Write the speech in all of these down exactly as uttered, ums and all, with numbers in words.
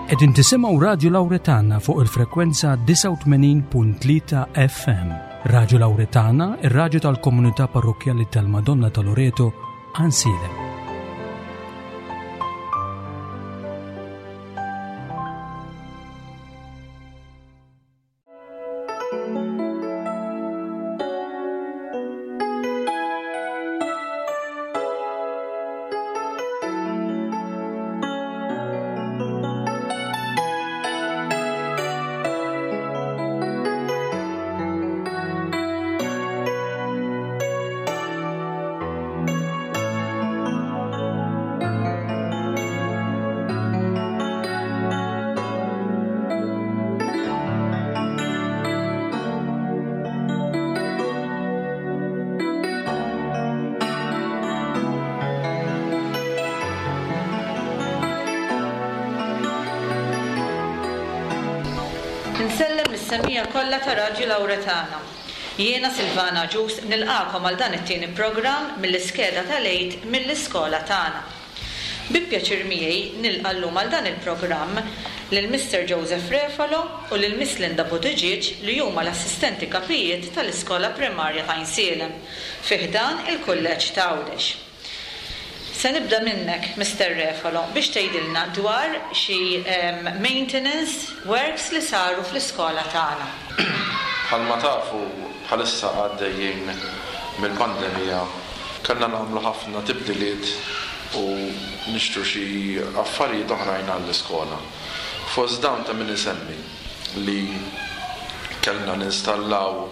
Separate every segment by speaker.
Speaker 1: Qegħdin tisimgħu Radju Lawretana fuq il-frekwenza disgħa u tmenin punt tlieta F M. Radju Lawretana, ir-radju tal-Komunità Parrokkjali tal-Madonna ta' Loreto, Għajnsielem.
Speaker 2: Nsellem lis-semmiegħa kollha ta' Radju Lawretana. Jiena Silvana Ġus nilqagħkom għal dan it-tieni programm mill-iskeda tal-Għid mill-iskola tagħna. Bi pjaċir miegħi nilqa' llum għal dan il-programm lil Mister Joseph Refalo u lil Miss Linda Buttigieg, li huma l-assistenti kapijiet tal-Iskola Primarja ta' Għajnsielem fi ħdan il-Kulleġġ ta' Għawdex. Se nibda minnek, Mister Refalo, biex tgħidilna dwar xi um, maintenance works li saru fl-iskola tagħna.
Speaker 3: Bħalma tafu, bħalissa għaddejjin mill-pandemija, kellna nagħmlu ħafna tibdiliet u nixtru xi affarijiet oħrajn għall-iskola. Fost dawn ta' min isemmi li kellna ninstallaw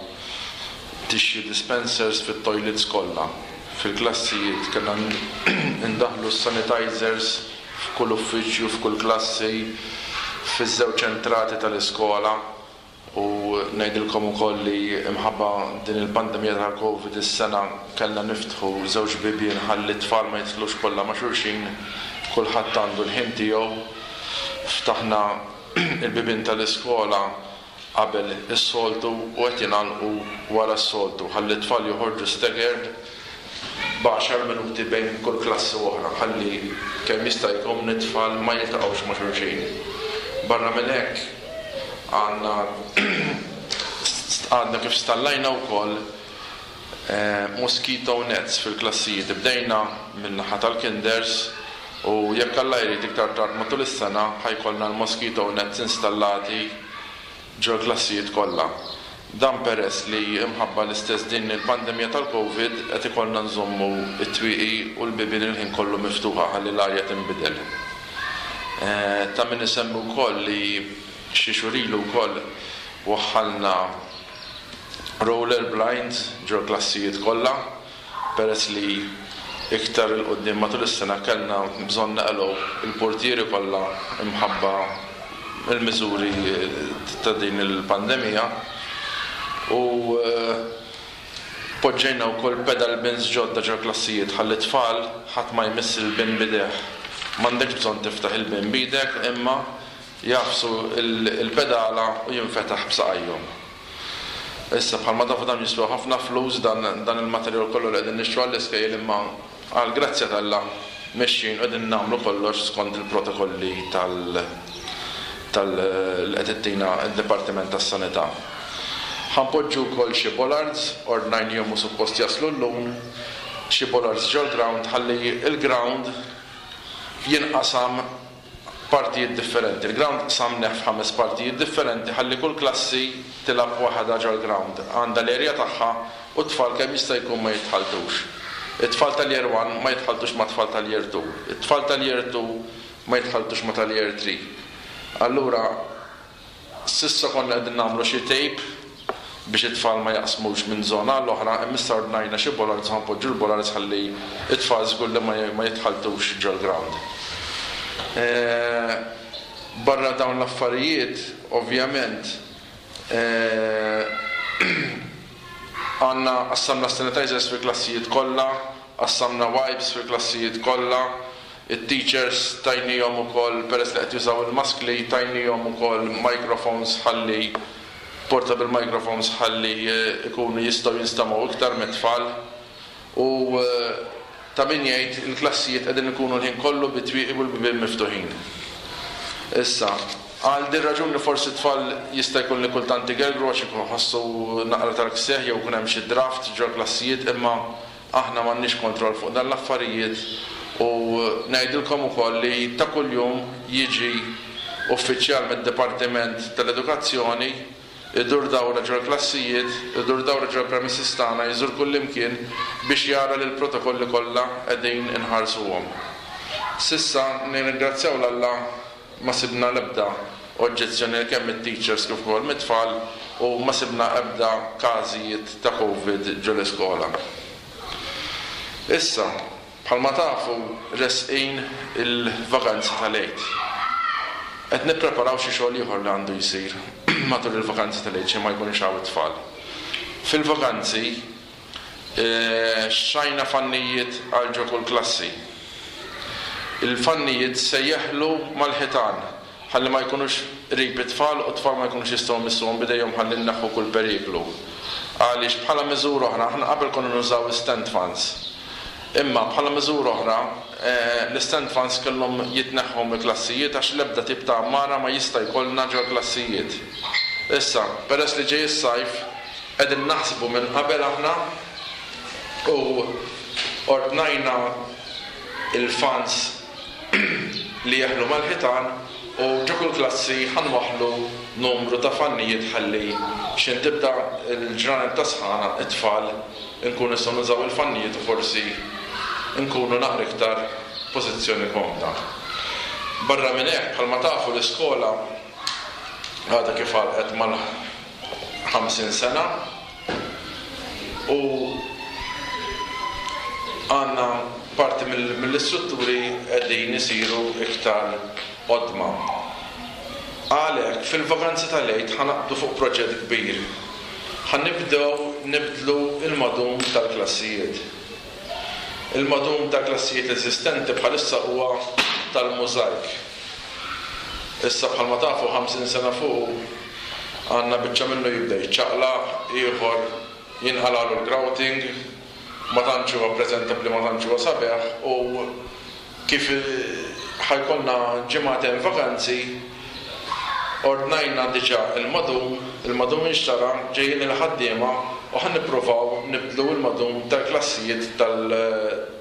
Speaker 3: tissue dispensers fit-toilets kollha. Fil-klassijiet kellna ndaħlu sanitizers f'kull uffiċċju, f'kull klassi, fiż-żewġ entrati tal-iskola, u ngħidilkom ukoll li imħabba din il-pandemija tal-Covid is-sena kellna niftħu żewġ bibien ħalli t-tfal ma jidħlux kollha ma' xulxin, kulħadd għandu l-ħin tiegħu. Ftaħna il-bibien tal-iskola qabel is-soltu u qed jingħalqu wara s-soltu ħalli t-tfal joħorġu staggered b'għaxar minuti bejn kull klassi u oħra, ħalli kemm jista' jkun it-tfal ma jiltaqgħux ma' xulxin. Barra minn hekk, għandna għadna kif stallajna wkoll eh, mosquito nets fil-klassijiet. Bdejna min-naħa tal-kinders u jekk Alla jrid, iktar tard matul is-sena ħa jkollna l-mosquito nets installati ġol klassijiet kollha. Dan peress li imħabba l-istess din il-pandemija tal-Covid qed ikollna nżommu it-twieqi u l-bibien il-ħin kollu miftuħa ħalli l-arja tinbidel. Eh, ta' min isemmi wkoll li xi xhur ilu wkoll waħħalna roller blinds ġol klassijiet kollha, peress li iktar 'il quddiem matul is-sena kellna bżonn naqilgħu il-portieri kollha imħabba il-miżuri ta' din il-pandemija, u eh, poġġejna wkoll pedal bins ġodda ġol klassijiet ħalli tfal ħadd ma jmiss il-bin b'idejh. M'għandekx bżonn tiftaħ il-bin b'idek, imma jagħfsu il-pedala u jinfetaħ b'saqajhom. Issa, bħalma tafu, dan jiswa ħafna flus, dan, dan il-materjal kollu li qegħdin nixtru għall-iskejjel, imma għal grazzja t'Alla mexjin u qegħdin nagħmlu kollox skont il-protokolli tal tal li qed ittina d-Dipartiment tas-Sanità. Ħa npoġġu wkoll xi bollards, ordnajnihom u suppost jaslu llum, xi bollards ġol ground ħalli il-ground jinqasam partijiet differenti. Il-ground qsamnieh f'ħames partijiet differenti ħalli kull klassi tilgħab waħda ġol ground. Għandha l-erja tagħha u t-tfal kemm jista' jkun ma jitħaltux. It-tfal tal-year one ma jitħaltux ma' tfal tal-year two. It-tfal tal-year two ma jitħaltux ma' tal-year three. Allura, s'issa konna qegħdin nagħmlu xi tape biex it-tfal ma jaqsmux minn zona l-oħra, imma issa ordnajna xi bollards, ħa npoġġu l-bollards ħalli it-tfal żgur li ma jitħaltux ġol ground. Eh, barra dawn l-affarijiet, ovvjament, eh, għandna qassamna sanitizers fil-klassijiet kollha, qassamna wipes fil-klassijiet kollha, it-teachers tajnihom ukoll, peress li qed jużaw il-maskli, tajnihom ukoll microphones ħalli portable microphones ħalli eh, ikunu jistgħu jinstemgħu iktar mit-tfal, u eh, ta' min jgħid, il-klassijiet qegħdin ikunu l-ħin kollu bit-twieqi u l-bibien miftuħin. Issa, għal din raġuni forsi tfal jista' jkun li kultant igergru għax iħossu naqra tal-ksieħ jew ikun hemm xi draft ġol klassijiet, imma aħna m'għandniex kontroll fuq dan l-affarijiet u ngħidilkom ukoll li ta' kuljum jiġi uffiċjal mid-Dipartiment tal-Edukazzjoni idur dawra ġol klassijiet, idur dawra ġol premises tagħna, jżur kullimkien biex jara li l-protokolli kollha qegħdin inħarsuhom. Sissa nirringrazzjaw 'l Alla ma sibna l-ebda oġġezzjoni kemm mit-teachers kif ukoll mit-tfal u ma sibna ebda każijiet ta' Covid ġol iskola. Issa, bħalma tafu resqin il-vakanzi tal-Għid. Qed nippreparaw xi xogħol ieħor li għandu jsir matul il-vakanzi tal-Għid xi ma jkunux hawn it-tfal. Fil-vakanzi xtrajna fannijiet għal ġo kull klassi. Il-fannijiet se jeħlu mal-ħitan ħalli ma jkunux qrib it-tfal u t-tfal ma jkunux jistgħu jmissuhom b'idejhom ħalli nneħħu kull periklu. Għaliex bħala miżura oħra aħna qabel konna nużaw stand fans. Imma bħala miżura oħra l-stand fans kellhom jitneħħu mill-klassijiet għax l-ebda tip ta' għammara ma jista' jkollna ġol klassijiet. Issa, peress li ġej is-sajf, qegħdin naħsbu minn qabel aħna u ordnajna il-fans li jeħlu mal-ħitan u ġo kull klassi ħanwaħlu numru ta' fannijiet ħalli x'in tibda l-ġranet ta' sħana it-tfal nkunu nistgħu nużaw il-fannijiet u forsi nkunu naqra iktar pożizzjoni komda. Barra minn hekk, bħalma tafu l-iskola għadha kif għalqet mal-ħamsin sena u għandna parti mill-istrutturi qegħdin isiru iktar qodma. Għalhekk fil-vakanzi tal-Għid ħanaqbdu fuq proġett kbir. Ħanibdew nibdlu il-madum tal-klassijiet. Il-madum tal-klassijiet eżistenti bħalissa huwa tal-mużajk. Issa bħalma tafu ħamsin sena fuq għandna biċċa minnu jibda jiċċaqlaq, ieħor jinqalalu l-grouting, ma tantx huwa preżentabbli, ma tantx huwa sabiħ u kif ħajkollna ġimgħatejn vakanzi ordnajna diġà il-madum, il-madum inxtara, ġejjin il-ħaddiema u ħan nippruvaw nibdlu il-madum tal-klassijiet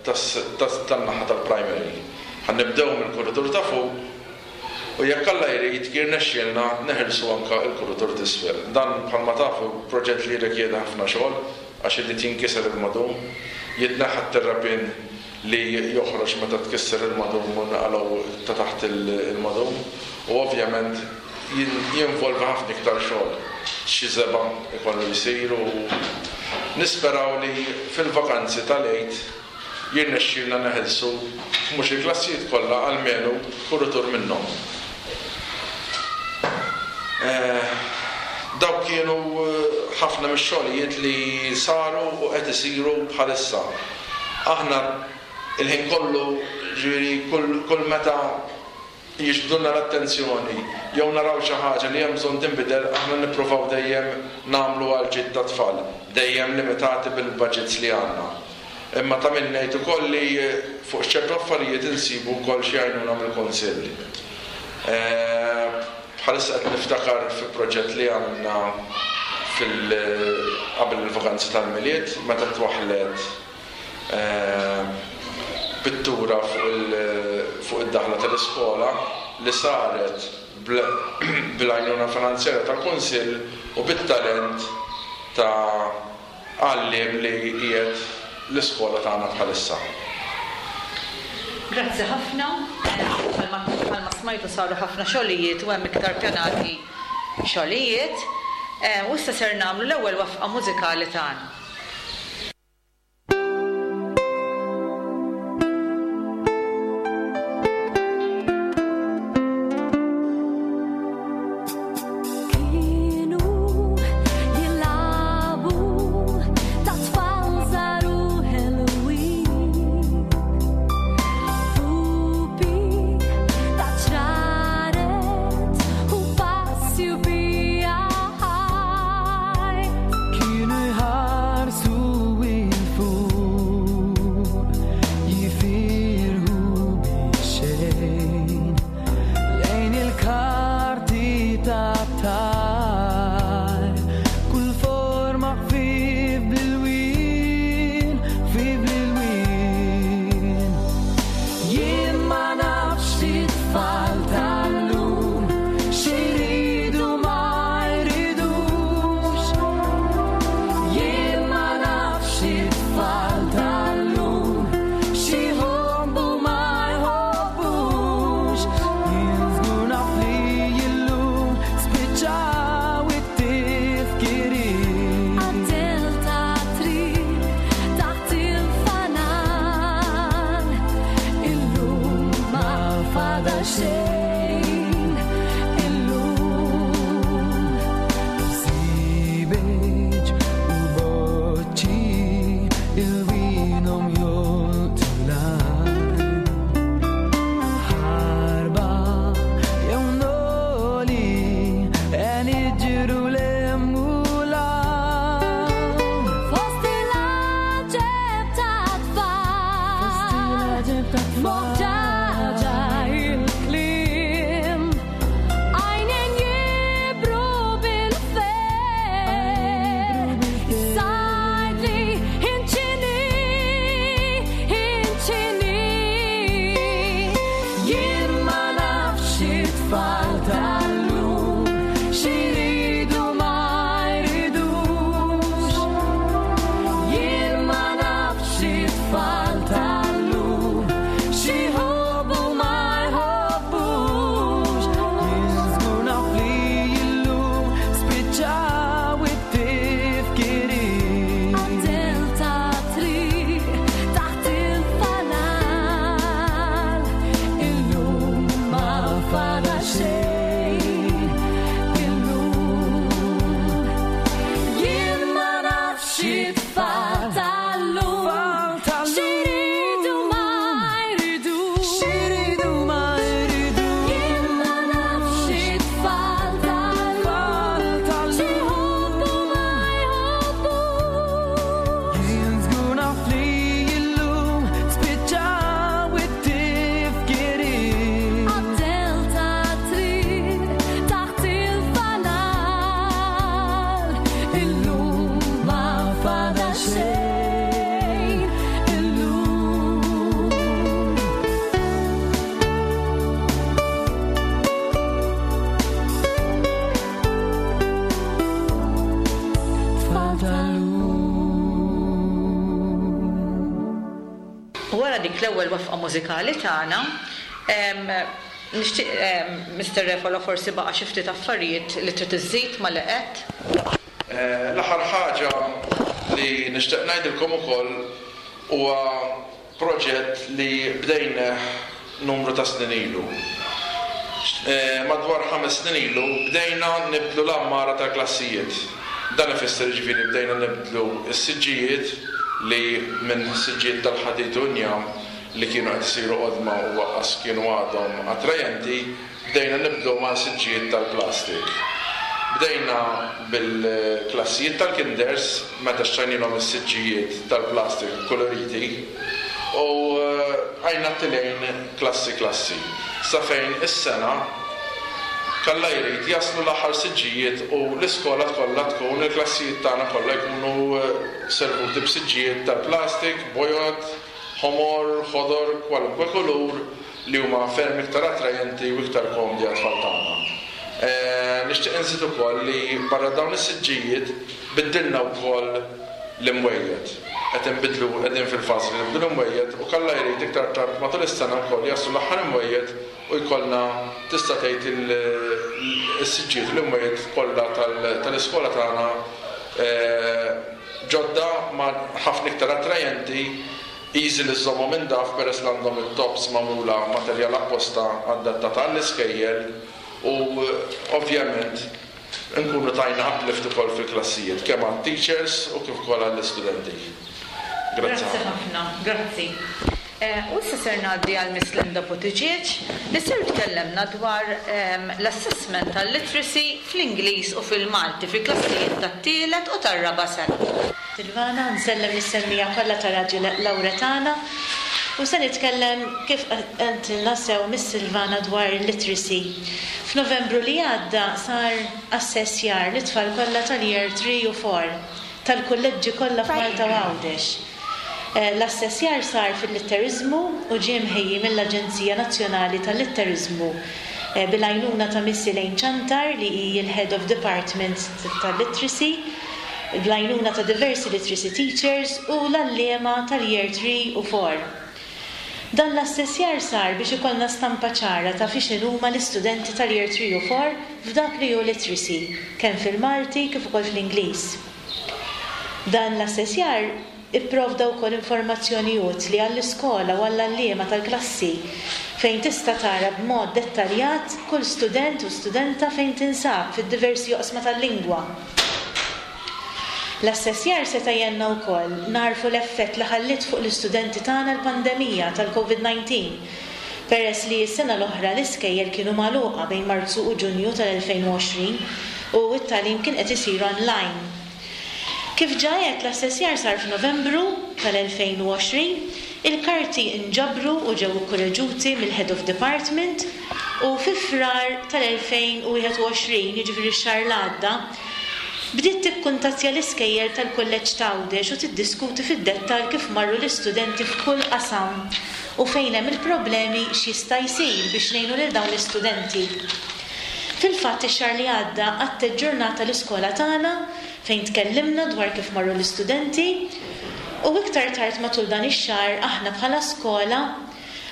Speaker 3: tan-naħa tal-primary. Ħan nibdew mill-kuritur ta' fuq u jekk Alla jrid jirnexxielna neħilsu anke l-kuritur t'isfel. Dan bħalma tafu proġett li jirrikjedi ħafna xogħol għax irid jinkiser il-madum, jitneħħa t-terrapin li joħroġ meta tkisser il-madum u naqalgħu ta' taħt il-madum u ovvjament jinvolvi ħafna iktar xogħol. Xi żebgħa ikollu jsir u nisperaw li fil-vakanzi tal-Għid jirnexxielna neħilsu mhux il-klassijiet kollha almenu kuritur minnhom. Dawk kienu ħafna mix-xogħlijiet li saru u qed isiru bħalissa. Aħna il-ħin kollu, ġifieri kull meta jiġbdulna l-attenzjoni jew naraw xi ħaġa li hemm bżonn tinbidel, aħna nippruvaw dejjem nagħmlu għal ġid tat-tfal, dejjem limitati bil-budgets li għandna. Imma ta' min ngħid ukoll li fuq ċertu affarijiet insibu wkoll xi għajnuna mill-Kunsill. Bħalissa qed niftakar fi proġett li għamilna fil qabel il-vakanzi tal-Milied meta twaħħlet pittura fuq id-daħla tal-iskola li saret bil-għajnuna finanzjarja tal-Kunsill u bit-talent ta' għalliem li qiegħed l-iskola tagħna bħalissa.
Speaker 2: Grazzi ħafna. Bħalma smajtu saru ħafna xogħlijiet u hemm iktar pjanati xogħlijiet. U issa ser nagħmlu l-ewwel wafqa mużikali tagħna.
Speaker 4: Kienu fadal xejn illum.
Speaker 5: Bżiebeġ u boċċi ilwinhom jolqtu l-għajn. Ħarba jew noli e niġru 'l hemm u 'l hawn.
Speaker 4: Fost il-għaġeb tat-tfal, moħġaġa il-kliem, għajnejn jibru bil-ferħ, sajdli inċini, inċini.
Speaker 5: Jien ma nafx it-tfal tal-lum x'iridu ma jridux. Jien ma nafx it-tfal tal-lum x'iħobbu ma jħobbux. Jien żgur naf li llum spiċċaw it-tifkiriet.
Speaker 4: Għad-dell tat-triq taħt il-fanal, illum ma fadal xejn illum. Jien ma nafx it-tfal tal-lum x'iridu ma jridux.
Speaker 5: X'iridu ma jridux.
Speaker 4: Jien ma nafx it-tfal tal-lum x'iħobbu ma jħobbux.
Speaker 5: Jien żgur naf li llum spiċċaw it-tifkiriet.
Speaker 4: Għad-dell tat-triq taħt il-fanal, illum ma fadal xejn illum. Tfal
Speaker 5: Tal-lum.
Speaker 2: Wara dik l-ewwel waqfa mużikali tagħna, em, nixtieq em, Mister Refalo, forsi baqa' xi ftit affarijiet li trid iżżid ma li qed.
Speaker 3: Eh, L-aħħar ħaġa li nixtieq ngħidilkom ukoll huwa proġett li bdejna numru ta' snin ilu. Eh, Madwar ħames snin ilu bdejna nibdlu l-għammara tal-klassijiet. Dan ifisser, ġifieri, bdejna nibdlu s-siġġijiet li minn siġġijiet tal-ħadid u njam li kienu qed isiru qodma u lanqas kienu għadhom attrajenti, bdejna nibdlu ma' siġġijiet tal-plastik. Bdejna bil-klassijiet tal-kinders meta xtrajnilhom is-siġġijiet tal-plastik koloriti u eh, għajna tilejn klassi klassi. Sa fejn is-sena kalla jrid jaslu l-aħħar siġġijiet u l-iskola kollha tkun, il-klassijiet tagħna kollha jkunu eh, servuti b'siġġijiet tal-plastik, bojod, ħomor, ħodor, kwalunkwe kulur li huma ferm iktar attrajenti u iktar komdi għat-tfal tagħna. Eh, Nixtieq inżid ukoll li barra dawn is-siġġijiet biddilna wkoll l-imwejjed. Qed inbidlu, qegħdin fil-fażi li nibdlu l-imwejjed u kalla jrid iktar tard matul is-sena wkoll jaslu l-aħħar imwejjed u jkollna, tista' tgħid, il-siġġijiet u l-imwejjed kollha tal-iskola tagħna eh, ġodda ma ħafna iktar attrajenti, easy li żommhom indaf peress li għandhom it-tops magħmula materjal apposta adattata għall-iskejjel u ovvjament nkunu tajna uplift ukoll fil-klassijiet kemm għat-teachers u kif ukoll għall-istudenti. Grazzi.
Speaker 2: Grazzi ħafna, grazzi. Eh, U issa ser ngħaddi għal Miss Linda Buttigieg li ser tkellemna dwar ehm, l-assessment tal-literacy fl-Ingliż u fil-Malti fi klassijiet tat-tielet u tar-raba' sena.
Speaker 6: Silvana, nsellem lis-semmiegħa kollha ta' Radju Lawretana u se nitkellem, kif qaltilna sew Miss Silvana, dwar literacy. F'Novembru li għadda sar assessjar lit-tfal kollha tal-year three u four tal-kulleġġi kollha f'Malta u Għawdex. Eh, L-assessjar sar fil-litterizmu u ġie mħejji mill-Aġenzija Nazzjonali tal-Litterizmu eh, bil-għajnuna ta' Miss Elaine Ċantar li hi l-Head of Department tal-Literacy, bl-għajnuna ta' diversi literacy teachers u l-għalliema tal-year three u four. Dan l-assessjar sar biex ikollna stampa ċara ta' fiex huma l-istudenti tal-year three u four f'dak li hu literacy, kemm fil-Malti kif ukoll fl-Ingliż. Dan l-assessjar ipprovda wkoll informazzjoni utli għall-iskola u għall-għalliema tal-klassi Fejn tista' tara b'mod dettaljat kull student u studenta fejn tinsab fid-diversi oqsma tal-lingwa. L-assessjar seta' jgħinna wkoll nagħrfu l-effett li ħalliet fuq l-istudenti tagħna l-pandemija tal-COVID nineteen, peress li s-sena l-oħra l-iskejjel kienu magħluqa bejn Marzu u Ġunju tal-elfejn u għoxrin u t-tagħlim kien qed isir online. Kif ġa għedt, l-assessjar sar f'Novembru tal-elfejn u għoxrin, il-karti inġabru u ġew ikkoreġuti mill-Head of Department u fi Frar tal-elfejn u wieħed u għoxrin, jiġifieri x-xahar li għadda, bdiet tikkuntattja l-iskejjel tal-Kulleġġ t'Għawdex u tiddiskuti fid-dettall kif marru l-istudenti f'kull qasam u fejn hemm il-problemi, x'jista' jsir biex ngħinu lil dawn l-istudenti. Fil-fatt, ix-xahar li għadda għaddejt ġurnata l-iskola tagħna fejn tkellimna dwar kif marru l-istudenti u iktar tard matul dan ix-xahar aħna bħala skola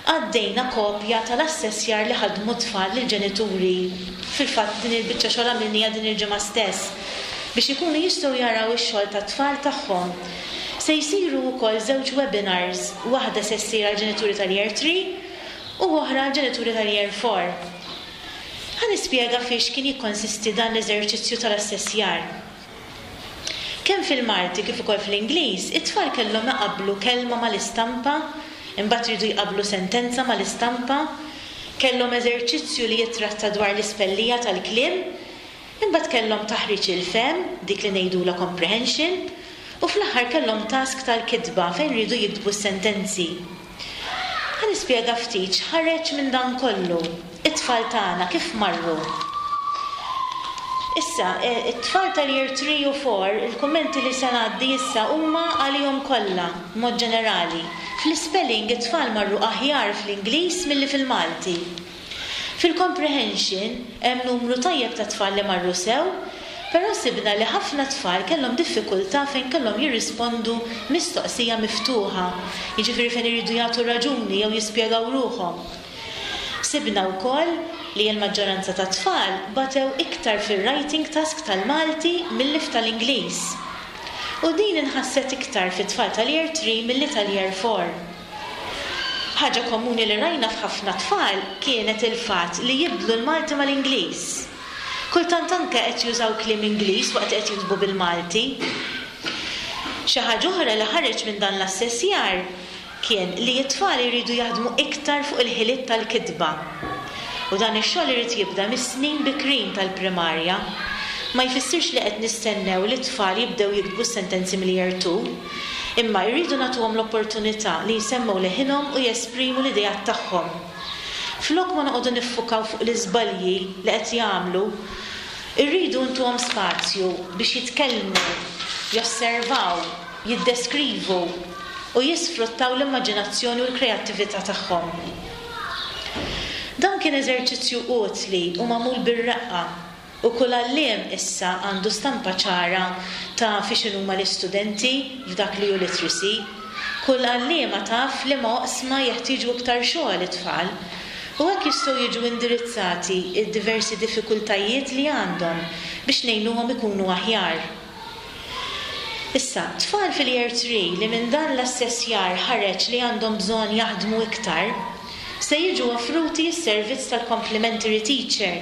Speaker 6: għaddejna kopja tal-assessjar li ħadmu tfal lill-ġenituri. Fil-fatt, din il-biċċa xogħol għamilnieha din il-ġimgħa stess biex ikunu jistgħu jaraw ix-xogħol tat-tfal tagħhom. Se jsiru wkoll żewġ webinars, waħda se ssir għall-ġenituri tal-Year three u oħra għall-ġenituri tal-Year four. Ħa nispjega fiex kien jikkonsisti dan l-eżerċizzju tal-assessjar. Kemm fil-Malti kif ukoll fl-Ingliż, it-tfal kellhom iqabblu kelma mal-istampa, imbagħad iridu jqabblu sentenza mal-istampa, kellhom eżerċizzju li jitratta dwar l-ispellija tal-kliem, imbagħad kellhom taħriġ il-fehm, dik li ngħidulha comprehension, u fl-aħħar kellhom task tal-kitba fejn ridu jiktbu s-sentenzi. Ħa nispjega ftit x'ħareġ minn dan kollu, it-tfal tagħna kif marru. Issa, eh, it-tfal tal-Year three u four, il-kummenti li se ngħaddi issa huma għalihom kollha, mod ġenerali. Fl-spelling, it-tfal marru aħjar fl-Ingliż milli fil-Malti. Fil-comprehension hemm numru tajjeb ta' tfal li marru sew, però sibna li ħafna tfal kellhom diffikultà fejn kellhom jirrispondu mistoqsija miftuħa, jiġifieri fejn iridu jagħtu raġuni jew jispjegaw ruħhom. Sibna wkoll li l-maġġoranza ta' tfal batew iktar fil-writing task tal-Malti milli tal-Ingliż. U din inħasset iktar fit-tfal tal-Year three milli tal-Year four. Ħaġa komuni li rajna f'ħafna tfal kienet il-fatt li jibdlu l-Malti mal-Ingliż. Kultant anke qed jużaw kliem Ingliż waqt qed jiktbu bil-Malti. Xi ħaġa oħra li ħareġ minn dan l-assessjar kien li t-tfal iridu jaħdmu iktar fuq il-ħiliet tal-kitba. U dan ix-xogħol irid jibda mis-snin bikrin tal-primarja. Ma jfissirx li qed nistennew li t-tfal jibdew jiktbu sentenzi mill-Year two, imma jridu nagħtuhom l-opportunità li jsemmew leħinhom u jesprimu l-idejat tagħhom. Flok ma noqogħdu niffukaw fuq l-iżbalji li qed jagħmlu, irridu ntuhom spazju biex jitkellmu, josservaw, jiddeskrivu u jisfruttaw l-immaġinazzjoni u l-kreattività tagħhom. Dan kien eżerċizzju utli u magħmul bir-reqqa u kull għalliem issa għandu stampa ċara ta' fiex huma l-istudenti f'dak li hu literacy. Kull għalliema taf liema oqsma jeħtieġu iktar xogħol it-tfal u hekk jistgħu jiġu indirizzati id-diversi diffikultajiet li għandhom biex ngħinuhom ikunu aħjar. Issa, tfal fil-Year three li minn dan l-assessjar ħareġ li għandhom bżonn jaħdmu iktar, se jiġu offruti s-servizz tal-complementary teacher,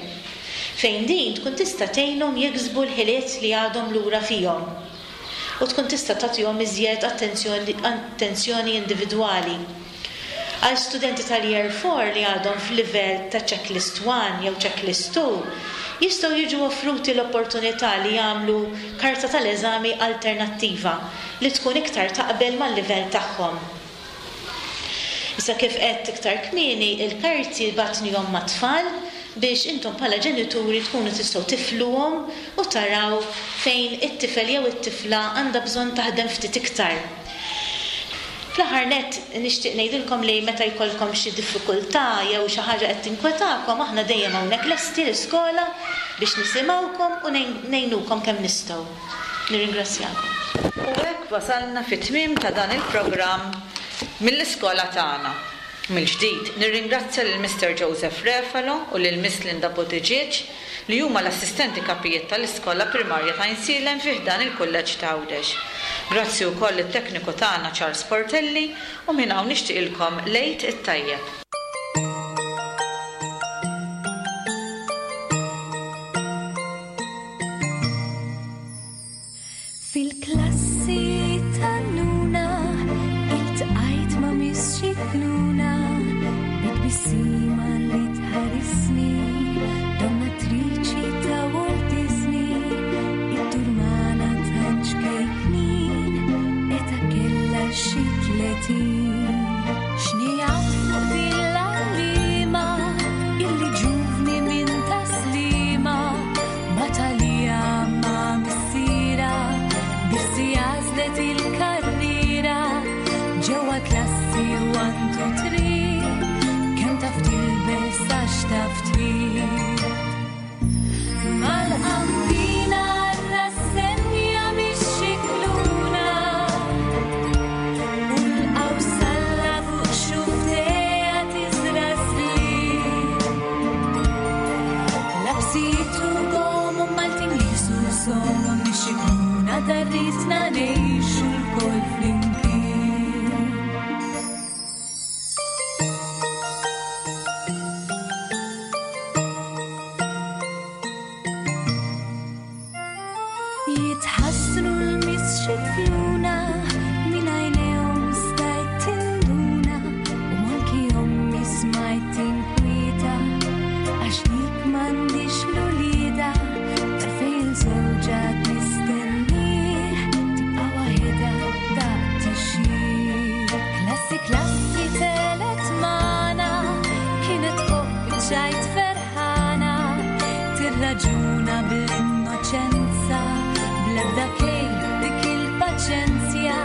Speaker 6: fejn din tkun tista' tgħinhom jiksbu l-ħiliet li għadhom lura fihom u tkun tista' tagħtihom iżjed attenzjoni, attenzjoni individwali. Għal studenti tal-Year four li għadhom f'livell ta' checklist one jew checklist two, jistgħu jiġu offruti l-opportunità li jagħmlu karta tal-eżami alternattiva li tkun iktar taqbel mal-livell tagħhom. Issa, kif qed iktar kmieni, il-karti bgħatnihom mat-tfal biex intom bħala ġenituri tkunu tistgħu tifluhom u taraw fejn it-tifel jew it-tifla għandha bżonn taħdem ftit iktar. Fl-aħħar nett, nixtieq ngħidilkom li meta jkollkom xi diffikultà jew xi ħaġa qed tinkwetakom, aħna dejjem hawnhekk lesti l-iskola biex nisimgħukom u ngħinukom kemm nistgħu. Nirringrazzjakom.
Speaker 2: U hekk wasalna fit-tmiem ta' dan il-programm mill-iskola tagħna. Mill-ġdid, nirringrazzja lil Mister Joseph Refalo u lil Miss Linda Buttigieg, li huma l-assistenti kapijiet tal-Iskola Primarja ta' Għajnsielem fi ħdan il-Kulleġġ ta' Għawdex. Grazzi wkoll it-tekniku tagħna Charles Portelli u minn hawn nixtieqilkom l-Għid it-tajjeb.
Speaker 4: Tbissima li tħarisni, donnatriċi ta' Walt Disney, it-turmana ta' ċkejknin, eta kella xi tletin. Xnijat fuq din l-għallima, illi ġuvni minn taslima, batalija ma' missira, bissi għażlet il-karriera, ġewwa klassi one, two, three, kemm taf tilbes għax taf trid. Mal-qambina rassenja mix-xikluna, u l-qawsalla fuq xuftejha tiżra slieb. Labsitu gomu Maltin lisu somu mix-xikluna darritna ngħixu lkoll flimkien. Jitħassru l-misxikluna minn għajnejhom stajt tinduna u manki ommi smajt tinkwieta għax dik m'għandix l-ulieda tarfej il-żewġa tistennih tibqa' waħedha daqt tixjih. Klassi klassi telet magħna kienet tħobb ċajt ferħana tirraġuna bl-innoċenza bl-ebda kejl dik il-paċenzja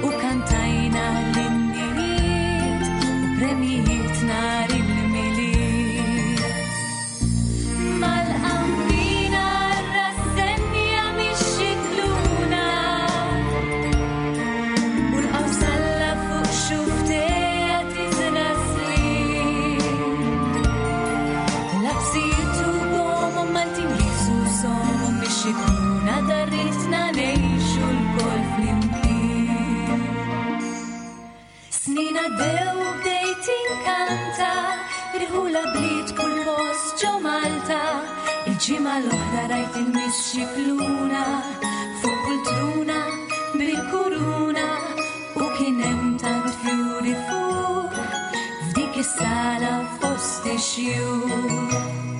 Speaker 4: u kantajna l-innijiet u premijiet nhar il-Milied. Mal-qambina rassenja mix-xikluna u l-qawsalla fuq xuftejha tiżra slieb. Labsitu gomu Maltin lisu somu mix-xikluna darritna ngħixu lkoll flimkien. Snin għaddew u bdejt inkanta, irħula bliet kull post ġo Malta. Il-ġimgħa l-oħra rajt il-mix-xikluna fuq poltruna bil-kuruna u kien hemm tant fjuri fuq f'dik is-sala fost ix-xjuħ.